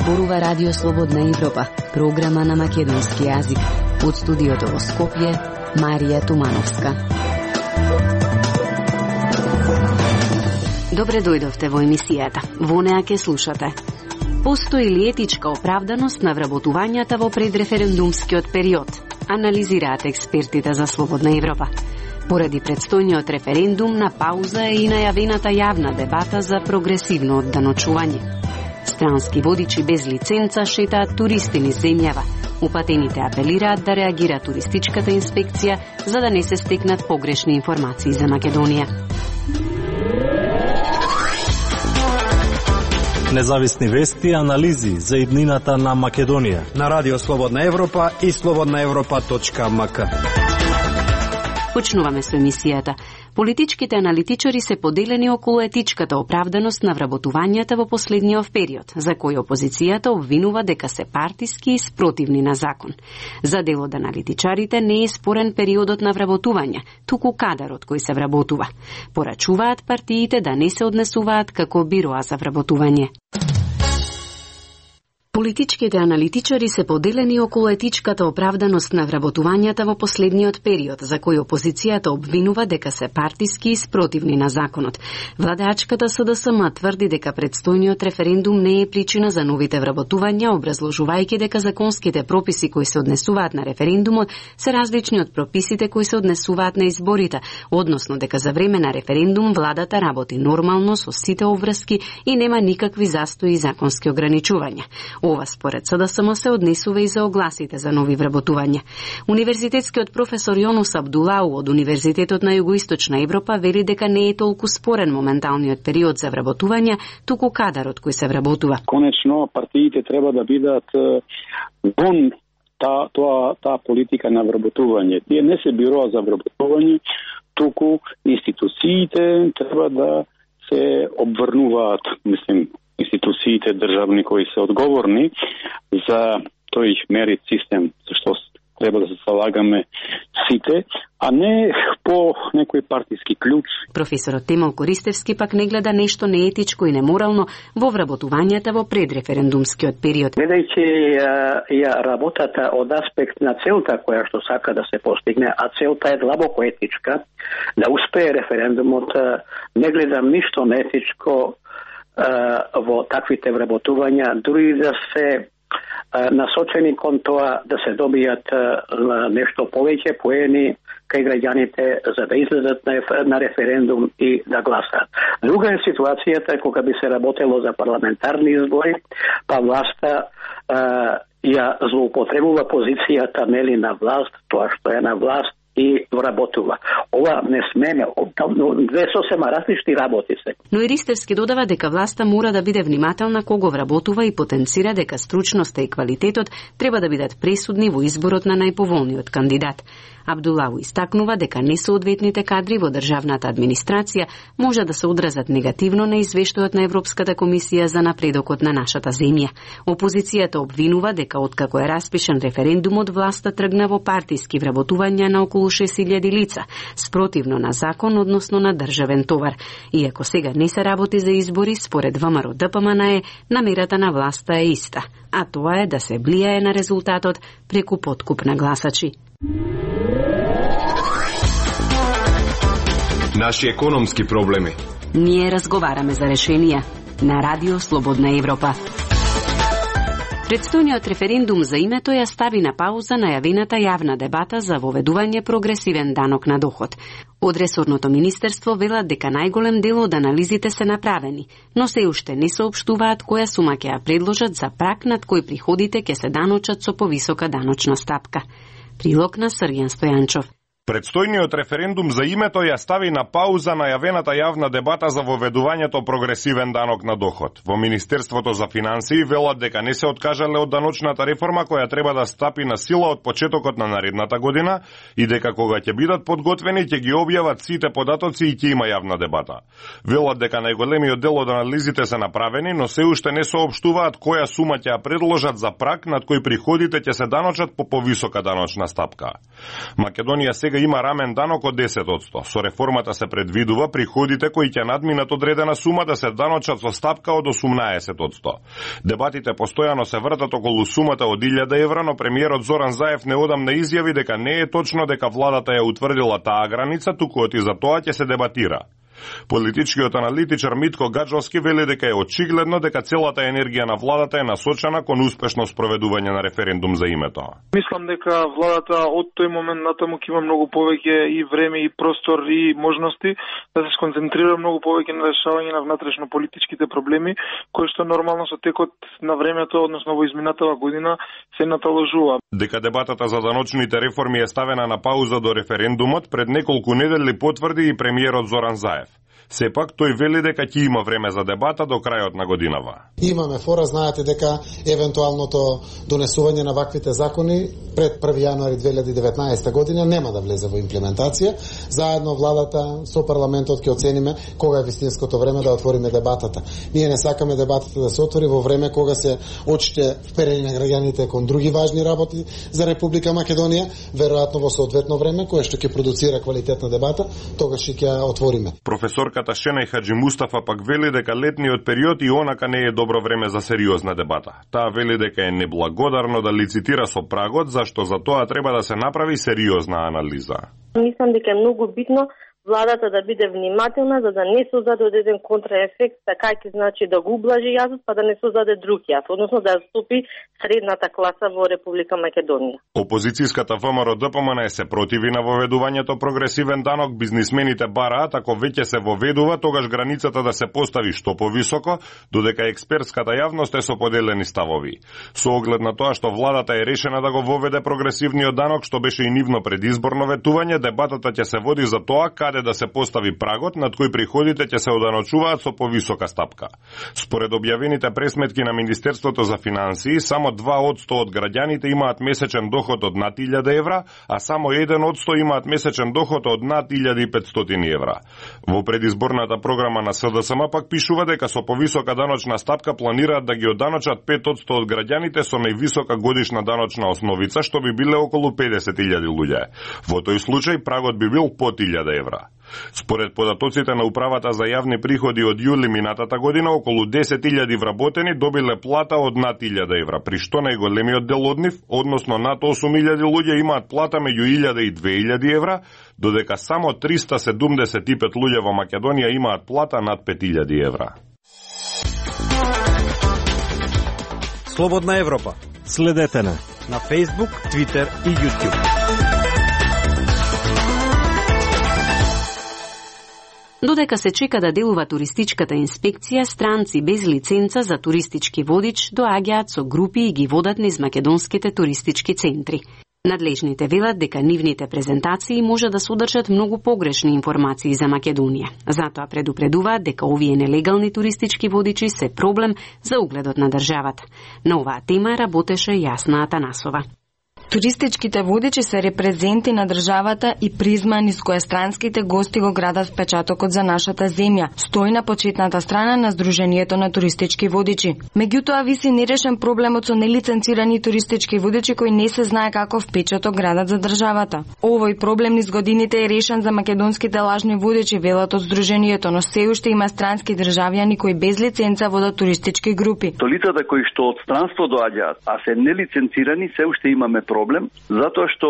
зборува Радио Слободна Европа, програма на македонски јазик. Од студиото во Скопје, Марија Тумановска. Добре дојдовте во емисијата. Во неа ќе слушате. Постои ли етичка оправданост на вработувањата во предреферендумскиот период? Анализираат експертите за Слободна Европа. Поради предстојниот референдум на пауза е и најавената јавна дебата за прогресивно одданочување. Странски водичи без лиценца шетаат туристи низ земјава. Упатените апелираат да реагира туристичката инспекција за да не се стекнат погрешни информации за Македонија. Независни вести и анализи за иднината на Македонија на Радио Слободна Европа и slobodnaevropa.mk. Почнуваме со емисијата. Политичките аналитичари се поделени околу етичката оправданост на вработувањата во последниот период, за кој опозицијата обвинува дека се партиски и спротивни на закон. За дел од аналитичарите не е спорен периодот на вработување, туку кадарот кој се вработува. Порачуваат партиите да не се однесуваат како бироа за вработување. Политичките аналитичари се поделени околу етичката оправданост на вработувањата во последниот период, за кој опозицијата обвинува дека се партиски и спротивни на законот. Владеачката СДСМ тврди дека предстојниот референдум не е причина за новите вработувања, образложувајќи дека законските прописи кои се однесуваат на референдумот се различни од прописите кои се однесуваат на изборите, односно дека за време на референдум владата работи нормално со сите обврски и нема никакви застои и законски ограничувања. Ова според СДСМ се однесува и за огласите за нови вработувања. Универзитетскиот професор Јонус Абдулау од Универзитетот на Југоисточна Европа вели дека не е толку спорен моменталниот период за вработување, туку кадарот кој се вработува. Конечно, партиите треба да бидат вон таа политика на вработување. Тие не се бироа за вработување, туку институциите треба да се обврнуваат, институциите државни кои се одговорни за тој мерит систем, зашто треба да се залагаме сите, а не по некој партиски клjuč. Професорот Темел Користевски пак не гледа нешто неетичко и неморално во вработувањата во предреферендумскиот период. Гледајќи ја работата од аспект на целта која што сака да се постигне, а целта е длабоко етичка, да успее референдумот, не гледам ништо неетичко во таквите вработувања, дури да се насочени кон тоа да се добијат нешто повеќе поени кај граѓаните за да излезат на референдум и да гласат. Друга е ситуацијата кога би се работело за парламентарни избори, па власта ја злоупотребува позицијата нели на власт, тоа што е на власт и вработува. Ова не смеме, две сосема различни работи се. Но и Ристевски додава дека власта мора да биде внимателна кога вработува и потенцира дека стручноста и квалитетот треба да бидат пресудни во изборот на најповолниот кандидат. Абдулау истакнува дека несоодветните кадри во државната администрација може да се одразат негативно на извештајот на Европската комисија за напредокот на нашата земја. Опозицијата обвинува дека откако е распишан референдумот, власта тргна во партиски вработувања на околу 6000 лица, спротивно на закон, односно на државен товар. Иако сега не се работи за избори, според ВМРО ДПМН намерата на власта е иста, а тоа е да се влијае на резултатот преку подкуп на гласачи. Наши економски проблеми. Ние разговараме за решенија на Радио Слободна Европа. Предстојниот референдум за името ја стави на пауза најавената јавна дебата за воведување прогресивен данок на доход. Од ресорното министерство велат дека најголем дел од анализите се направени, но се уште не соопштуваат која сума ќе ја предложат за праг над кој приходите ќе се даночат со повисока даночна стапка. Прилог на Срѓан Стојанчов. Предстојниот референдум за името ја стави на пауза најавената јавна дебата за воведувањето прогресивен данок на доход. Во Министерството за финансии велат дека не се откажале од даночната реформа која треба да стапи на сила од почетокот на наредната година и дека кога ќе бидат подготвени ќе ги објават сите податоци и ќе има јавна дебата. Велат дека најголемиот дел од анализите се направени, но се уште не соопштуваат која сума ќе ја предложат за праг над кој приходите ќе се даночат по повисока даночна стапка. Македонија сега сега има рамен данок од 10%. Со реформата се предвидува приходите кои ќе надминат одредена сума да се даночат со стапка од 18%. Дебатите постојано се вртат околу сумата од 1000 евра, но премиерот Зоран Заев неодамна изјави дека не е точно дека владата ја утврдила таа граница, туку и за тоа ќе се дебатира. Политичкиот аналитичар Митко Гаджовски вели дека е очигледно дека целата енергија на владата е насочена кон успешно спроведување на референдум за името. Мислам дека владата од тој момент натаму ќе има многу повеќе и време и простор и можности да се сконцентрира многу повеќе на решавање на внатрешно политичките проблеми, кои што нормално со текот на времето, односно во изминатава година, се наталожува. Дека дебатата за даночните реформи е ставена на пауза до референдумот, пред неколку недели потврди и премиерот Зоран Заев. Сепак тој вели дека ќе има време за дебата до крајот на годинава. Имаме фора, знаете дека евентуалното донесување на ваквите закони пред 1 јануари 2019 година нема да влезе во имплементација. Заедно владата со парламентот ќе оцениме кога е вистинското време да отвориме дебатата. Ние не сакаме дебатата да се отвори во време кога се очите вперени на граѓаните кон други важни работи за Република Македонија, веројатно во соодветно време кое што ќе продуцира квалитетна дебата, тогаш ќе ја отвориме. Професор Шена и Хаджи Мустафа пак вели дека летниот период и онака не е добро време за сериозна дебата. Таа вели дека е неблагодарно да лицитира со прагот, зашто за тоа треба да се направи сериозна анализа. Мислам дека е многу битно владата да биде внимателна за да не создаде одреден контраефект, така ќе значи да го ублажи јазот, па да не создаде друг јаз, односно да стопи средната класа во Република Македонија. Опозицијската ВМРО ДПМН се противи на воведувањето прогресивен данок, бизнисмените бараат ако веќе се воведува, тогаш границата да се постави што повисоко, додека експертската јавност е со поделени ставови. Со оглед на тоа што владата е решена да го воведе прогресивниот данок, што беше и нивно предизборно ветување, дебатата ќе се води за тоа каде да се постави прагот над кој приходите ќе се оданочуваат со повисока стапка. Според објавените пресметки на Министерството за финансии, само 2% од граѓаните имаат месечен доход од над 1000 евра, а само 1% имаат месечен доход од над 1500 евра. Во предизборната програма на СДСМ пак пишува дека со повисока даночна стапка планираат да ги оданочат 5% од граѓаните со највисока годишна даночна основица, што би биле околу 50.000 луѓе. Во тој случај прагот би бил под 1000 евра. Според податоците на Управата за јавни приходи од јули минатата година, околу 10.000 вработени добиле плата од над 1000 евра, при што најголемиот дел од нив, односно над 8.000 луѓе имаат плата меѓу 1000 и 2000 евра, додека само 375 луѓе во Македонија имаат плата над 5000 евра. Слободна Европа. Следете на Facebook, Twitter и YouTube. Додека се чека да делува туристичката инспекција, странци без лиценца за туристички водич доаѓаат со групи и ги водат низ македонските туристички центри. Надлежните велат дека нивните презентации може да содржат многу погрешни информации за Македонија. Затоа предупредуваат дека овие нелегални туристички водичи се проблем за угледот на државата. На оваа тема работеше Јасна Атанасова. Туристичките водичи се репрезенти на државата и призма низ која странските гости го градат впечатокот за нашата земја. Стои на почетната страна на Сдруженијето на туристички водичи. Меѓутоа виси нерешен проблемот со нелиценцирани туристички водичи кои не се знае каков впечаток градат за државата. Овој проблем низ годините е решен за македонските лажни водичи, велат од Сдруженијето, но се уште има странски државјани кои без лиценца водат туристички групи. То лицата кои што од странство доаѓаат, а се нелиценцирани, се уште имаме проблем, затоа што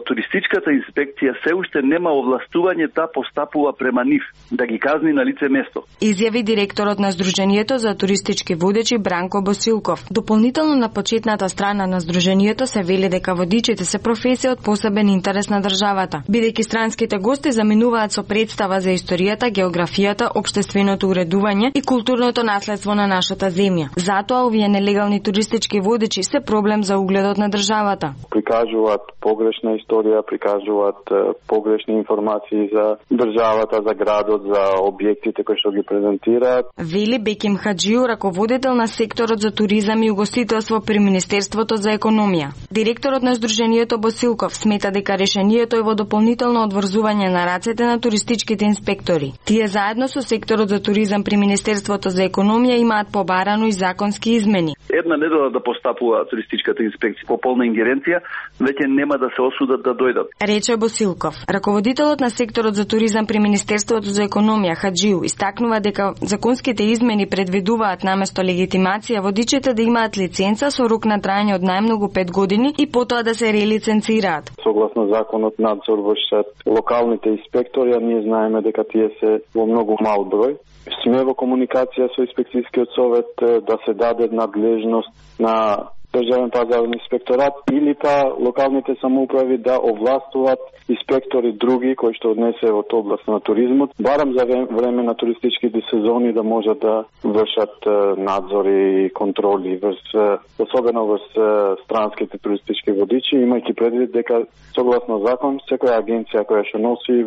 туристичката инспекција се уште нема овластување да постапува према нив, да ги казни на лице место. Изјави директорот на Сдруженијето за туристички водичи Бранко Босилков. Дополнително на почетната страна на Сдруженијето се вели дека водичите се професија од посебен интерес на државата, бидејќи странските гости заминуваат со представа за историјата, географијата, општественото уредување и културното наследство на нашата земја. Затоа овие нелегални туристички водичи се проблем за угледот на државата. Прикажуваат погрешна историја, прикажуваат погрешни информации за државата, за градот, за објектите кои што ги презентираат. Вели Беким Хаджију, раководител на секторот за туризам и угостителство при Министерството за економија. Директорот на Сдруженијето Босилков смета дека решението е во дополнително одврзување на рацете на туристичките инспектори. Тие заедно со секторот за туризам при Министерството за економија имаат побарано и законски измени. Една недела да постапува туристичката инспекција по полна ингеренција Македонија, веќе нема да се осудат да дојдат. Рече Босилков. Раководителот на секторот за туризам при Министерството за економија Хаджиу истакнува дека законските измени предвидуваат наместо легитимација водичите да имаат лиценца со рок на трајање од најмногу 5 години и потоа да се релиценцираат. Согласно законот надзор вршат локалните инспектори, а ние знаеме дека тие се во многу мал број. Сме во комуникација со инспекцијскиот совет да се даде надлежност на Државен пазарен инспекторат или па локалните самоуправи да овластуваат инспектори други кои што однесе од област на туризмот, барам за време на туристичките сезони да можат да вршат надзори и контроли особено врз странските туристички водичи, имајќи предвид дека согласно закон секоја агенција која што носи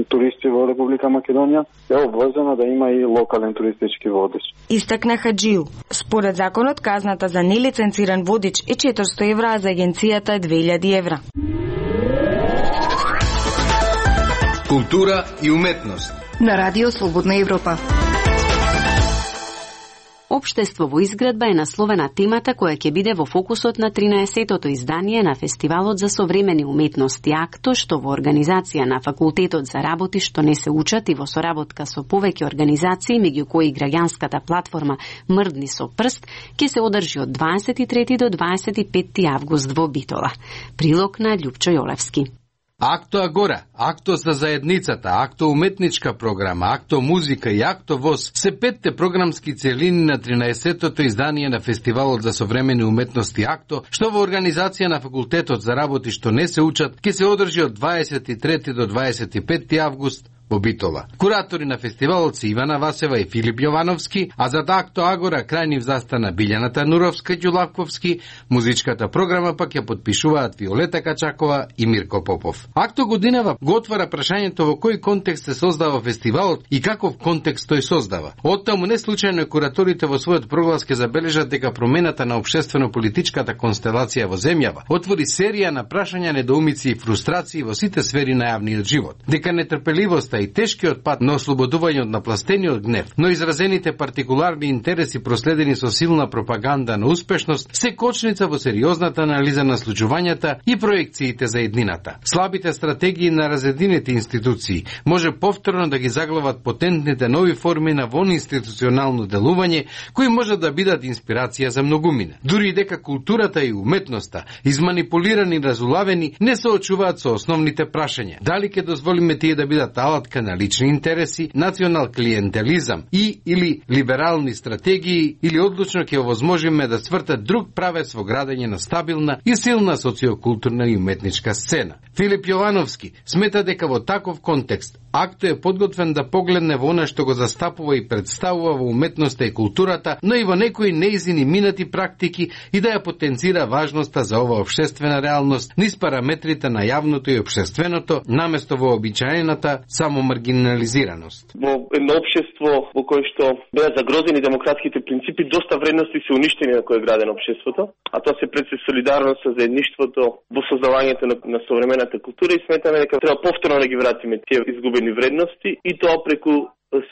туристи во Република Македонија е обврзана да има и локален туристички водич. Истакна Хаджиу. Според законот казната за нелиценциран водич е 400 евра, а за агенцијата е 2000 евра. Култура и уметност на Радио Слободна Европа. Општество во изградба е насловена темата која ќе биде во фокусот на 13-тото издание на Фестивалот за современи уметности АКТО, што во организација на Факултетот за работи што не се учат и во соработка со повеќе организации, меѓу кои граѓанската платформа Мрдни со прст, ќе се одржи од 23 до 25 август во Битола. Прилог на Љупчо Јолевски. Акто Агора, Акто за заедницата, Акто уметничка програма, Акто музика и Акто ВОС се 5 програмски целини на 13-тото издание на Фестивалот за современи уметности Акто, што во организација на Факултетот за работи што не се учат, ќе се одржи од 23 до 25 август во Битола. Куратори на фестивалот се Ивана Васева и Филип Јовановски, а за Акто Агора крајнив застана Билјана Тануровска Ѓулавковски, музичката програма пак ја подпишуваат Виолета Качакова и Мирко Попов. Акто годинава го отвара прашањето во кој контекст се создава фестивалот и каков контекст тој создава. Оттаму не случајно кураторите во својот проглас ке забележат дека промената на општествено-политичката констелација во земјава отвори серија на прашања, недоумици и фрустрации во сите сфери на јавниот живот. Дека нетрпеливоста и тешкиот пат на ослободување од напластениот гнев, но изразените партикуларни интереси проследени со силна пропаганда на успешност, се кочница во сериозната анализа на случувањата и проекциите за еднината. Слабите стратегии на разединените институции може повторно да ги заглават потентните нови форми на вонинституционално делување, кои може да бидат инспирација за многумина. Дури дека културата и уметноста, изманипулирани и разулавени, не се очуваат со основните прашања. Дали ќе дозволиме тие да бидат алатка на лични интереси, национал клиентелизам и или либерални стратегии, или одлучно ќе овозможиме да свртат друг правец во градење на стабилна и силна социокултурна и уметничка сцена. Филип Јовановски смета дека во таков контекст Акто е подготвен да погледне во она што го застапува и представува во уметноста и културата, но и во некои неизини минати практики и да ја потенцира важноста за оваа општествена реалност низ параметрите на јавното и општественото, наместо во обичаената само маргинализираност. Во едно општество во кое што беа загрозени демократските принципи, доста вредности се уништени на кој е градено општеството, а тоа се пред се солидарност со заедништвото во создавањето на современата култура и сметаме дека треба повторно да ги вратиме тие изгубени вредности и тоа преку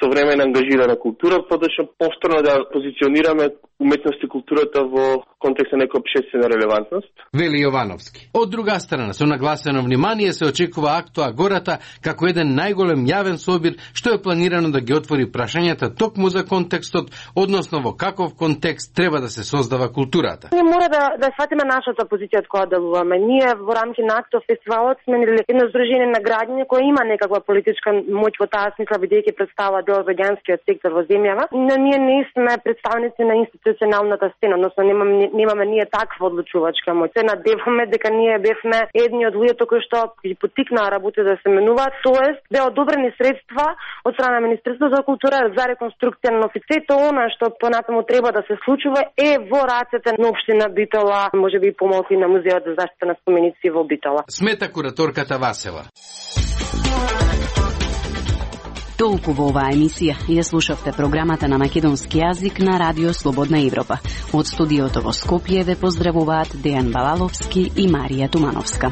современа ангажирана култура, подошто повторно да позиционираме уметност и културата во контекст на некоја општествена релевантност. Вели Јовановски. Од друга страна, со нагласено внимание се очекува Акто Агората како еден најголем јавен собир што е планирано да ги отвори прашањата токму за контекстот, односно во каков контекст треба да се создава културата. Ние мора да сватиме нашата позиција од која делуваме. Ние во рамки на Акто фестивалот сме едно здружение на граѓани кои има некаква политичка моќ во таа смисла, бидејќи представува дел од граѓанскиот сектор во земјава, но ние не сме представници на институционалната сцена, односно немаме ние таква одлучувачка моќ. Се надеваме дека ние бевме едни од луѓето кои што ги поттикнаа работи да се менуваат, тоест беа одобрени средства од страна на Министерството за култура за реконструкција на офицето, она што понатаму треба да се случува е во рацете на општина Битола, можеби и помалку на музеот за заштита на споменици во Битола. Смета кураторката Васева. Толку во оваа емисија. Ја слушавте програмата на македонски јазик на Радио Слободна Европа. Од студиото во Скопје ве поздравуваат Дејан Балаловски и Марија Тумановска.